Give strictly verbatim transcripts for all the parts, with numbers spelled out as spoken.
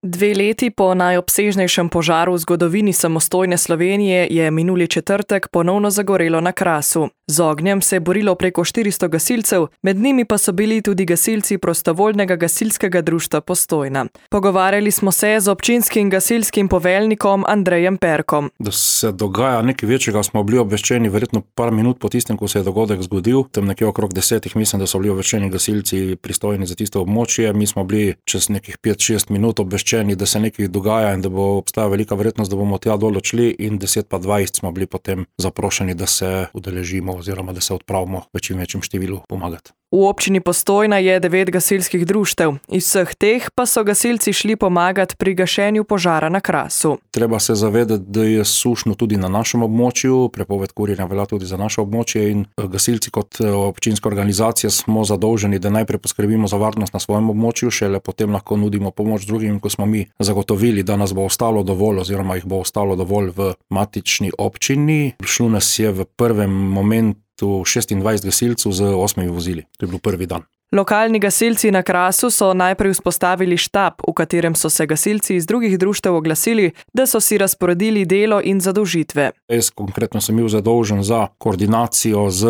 Dve leti po najobsežnejšem požaru v zgodovini samostojne Slovenije je minuli četrtek ponovno zagorelo na Krasu. Z ognjem se je borilo preko štiristo gasilcev, med njimi pa so bili tudi gasilci prostovoljnega gasilskega društva Postojna. Pogovarjali smo se z občinskim gasilskim poveljnikom Andrejem Perkom. Da se dogaja nekaj večjega, smo bili obveščeni verjetno par minut po tistem, ko se je dogodek zgodil. Tam nekje okrog desetih mislim, da so bili obveščeni gasilci pristojni za tisto območje. Mi smo bili čez nekih pet šest minut obveščeni, da se nekaj dogaja in da bo obstaja velika verjetnost, da bomo tja dol odšli, in deset pa dvajset smo bili potem zaprošeni, da se udeležimo oziroma da se odpravimo v čim večjem številu pomagati. V občini Postojna je devet gasilskih društev, iz vseh teh pa so gasilci šli pomagati pri gašenju požara na Krasu. Treba se zavedati, da je sušno tudi na našem območju, prepoved kurjenja velja tudi za naše območje in gasilci kot občinska organizacija smo zadolženi, da najprej poskrbimo za varnost na svojem območju, šele potem lahko nudimo pomoč drugim, ko smo mi zagotovili, da nas bo ostalo dovolj oziroma jih bo ostalo dovolj v matični občini. Šlo nas je v prvem momentu šestindvajset gasilcev z osmimi vozili. To je bil prvi dan. Lokalni gasilci na Krasu so najprej vzpostavili štab, v katerem so se gasilci iz drugih društev oglasili, da so si razporedili delo in zadolžitve. Jaz konkretno sem bil zadolžen za koordinacijo z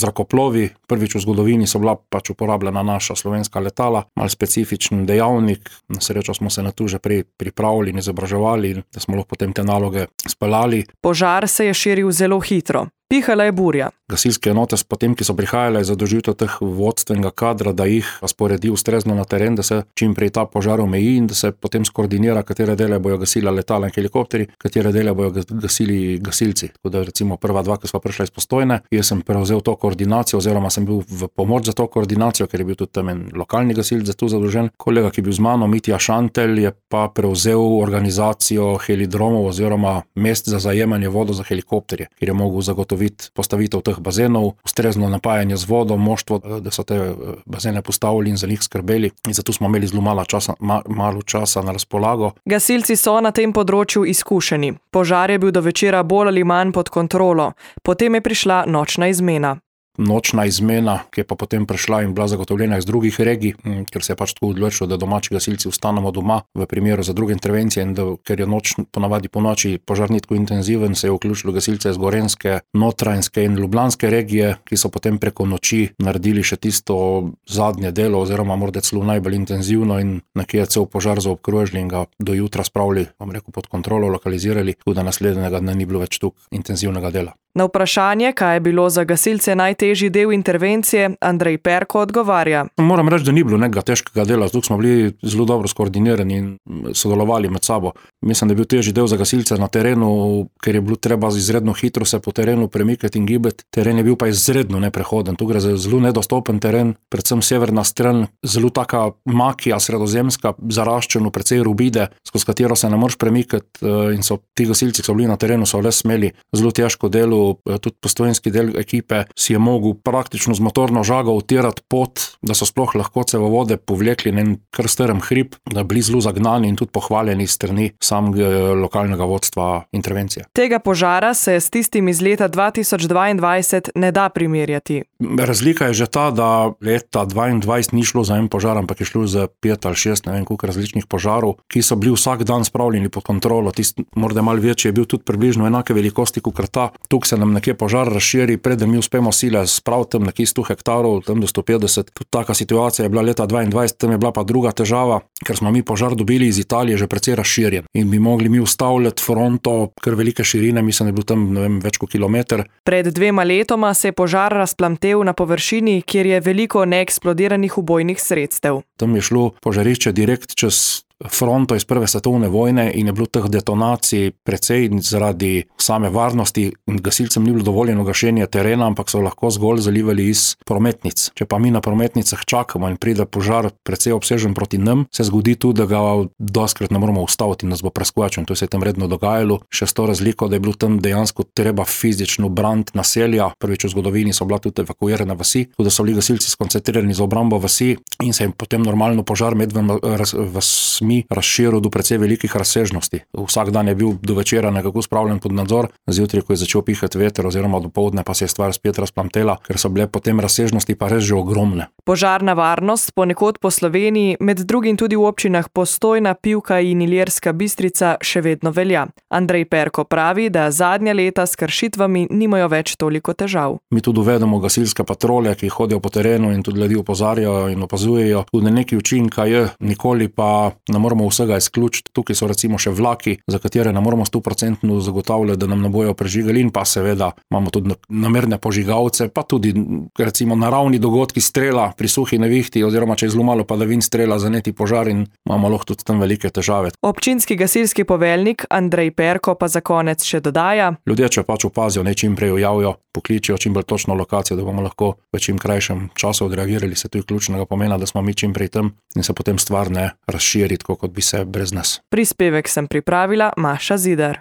zrakoplovi. Prvič v zgodovini so bila pač uporabljena naša slovenska letala, malo specifičen dejavnik. Na srečo smo se na to že prej pripravili in izobraževali, da smo lahko potem te naloge speljali. Požar se je širil zelo hitro. Pihala je burja. Gasilske enote s potem, ki so prihajale, zadolžitev teh vodstvenega kadra, da jih razporedi ustrezno na teren, da se čim prej ta požar omeji in da se potem skoordinira, katere dele bojo gasila letala in helikopteri, katere dele bojo gasili gasilci. Tako da recimo prva dva, ki sva prišla iz Postojne, jaz sem prevzel to koordinacijo oziroma sem bil v pomoč za to koordinacijo, ker je bil tudi tam en lokalni gasilc za to zadolžen. Kolega, ki je bil z mano, Mitja Šantelj, je pa prevzel organizacijo helidromov oziroma mest za zajemanje vodo za helikopterje, kjer je mogel zagotoviti postavitev teh bazenov, ustrezno napajanje z vodo, moštvo, da so te bazene postavili in za njih skrbeli. In zato smo imeli zelo malo časa, ma, malo časa na razpolago. Gasilci so na tem področju izkušeni. Požar je bil do večera bolj ali manj pod kontrolo. Potem je prišla nočna izmena. Nočna izmena, ki je pa potem prišla in bila zagotovljena iz drugih regij, ker se je pač tako odločilo, da domači gasilci ostanemo doma v primeru za druge intervencije in da, ker je noč ponavadi po noči požar ni tako intenziven, se je vključilo gasilce iz Gorenjske, Notranjske in Ljubljanske regije, ki so potem preko noči naredili še tisto zadnje delo oziroma morda celo najbolj intenzivno in nekje cel požar zaobkrožili in ga do jutra spravili, bom rekel, pod kontrolo, lokalizirali, tako da naslednjega dne ni bilo več tako intenzivnega dela. Na vprašanje, kaj je bilo za gasilce najtežji del intervencije, Andrej Perko odgovarja. Moram reči, da ni bilo nekega težkega dela, zato smo bili zelo dobro skoordinirani in sodelovali med sabo. Mislim, da je bil težji del za gasilce na terenu, ker je bilo treba izredno hitro se po terenu premikati in gibati. Teren je bil pa izredno neprehoden. Tu gre za zelo nedostopen teren, predvsem severna stran, zelo taka makija sredozemska, zaraščeno, precej rubide, skozi katero se ne moreš premikati in so ti gasilci, ki so bili na terenu, so le smeli zelo težko delo. Tudi postojnski del ekipe si je mogel praktično z motorno žago utirati pot, da so sploh lahko cevovode povlekli na en kar strm hrib, da bili zelo zagnani in tudi pohvaljeni strani samega lokalnega vodstva intervencije. Tega požara se s tistim iz leta dva tisoč dvaindvajset ne da primerjati. Razlika je že ta, da leta dvaindvajset ni šlo za en požar, ampak je šlo za pet ali šest, ne vem koliko različnih požarov, ki so bili vsak dan spravljeni pod kontrolo. Tisti morda malo večji je bil tudi približno enake velikosti kot ta. Tukaj se nam nekje požar razširi, preden mi uspemo sile spraviti tam nekje sto hektarov, tam do sto petdeset. Tudi taka situacija je bila leta dvaindvajset, tam je bila pa druga težava, ker smo mi požar dobili iz Italije že precej razširjen in bi mogli mi ustavljati fronto kar velike širine, mislim, da je bil tam, ne vem, več kot kilometer. Pred dvema letoma se je požar razplamtel na površini, kjer je veliko neeksplodiranih ubojnih sredstev. Tam je šlo požarišče direkt čez fronto iz prve svetovne vojne in je bilo teh detonacij precej zaradi same varnosti in gasilcem ni bilo dovoljeno gašenje terena, ampak so lahko zgolj zalivali iz prometnic. Če pa mi na prometnicah čakamo in pride požar precej obsežen proti nam, se zgodi tudi, da ga doskrat ne moramo ustaviti in nas bo preskočil. To se je tam redno dogajalo. Še s to razliko, da je bilo tam dejansko treba fizično braniti naselja. Prvič v zgodovini so bila tudi evakuirane vasi, tudi da so bili gasilci skoncentrirani za obrambo vasi in se je potem normalno požar med v epidemij razširil do precej velikih razsežnosti. Vsak dan je bil do večera nekako spravljen pod nadzor, zjutraj, ko je začel pihati veter oziroma dopoldne, pa se je stvar spet razplamtela, ker so bile potem razsežnosti pa res že ogromne. Požarna varnost ponekod po Sloveniji, med drugim tudi v občinah Postojna, Pivka in Ilirska Bistrica, še vedno velja. Andrej Perko pravi, da zadnja leta s kršitvami nimajo več toliko težav. Mi tudi uvedemo gasilske patrolje, ki hodijo po terenu in tudi ljudi opozarjajo in opazujejo. Tudi neki učinka je, nikoli pa ne moramo vsega izključiti. Tukaj so recimo še vlaki, za katere ne moramo sto procentno zagotavljati, da nam ne bojo prežigali, in pa seveda imamo tudi namerne požigalce, pa tudi recimo naravni dogodki, strela pri suhi nevihti, oziroma če je zelo malo padavin, strela zaneti požar in imamo lahko tudi tam velike težave. Občinski gasilski poveljnik Andrej Perko pa za konec še dodaja: Ljudje, če pač opazijo, naj čim prej javijo, pokličijo čim bolj točno lokacijo, da bomo lahko v čim krajšem času odreagirali. Se tu je ključnega pomena, da smo mi čim prej tam in se potem stvar ne razširi, tako kot bi se brez nas. Prispevek sem pripravila Maša Zidar.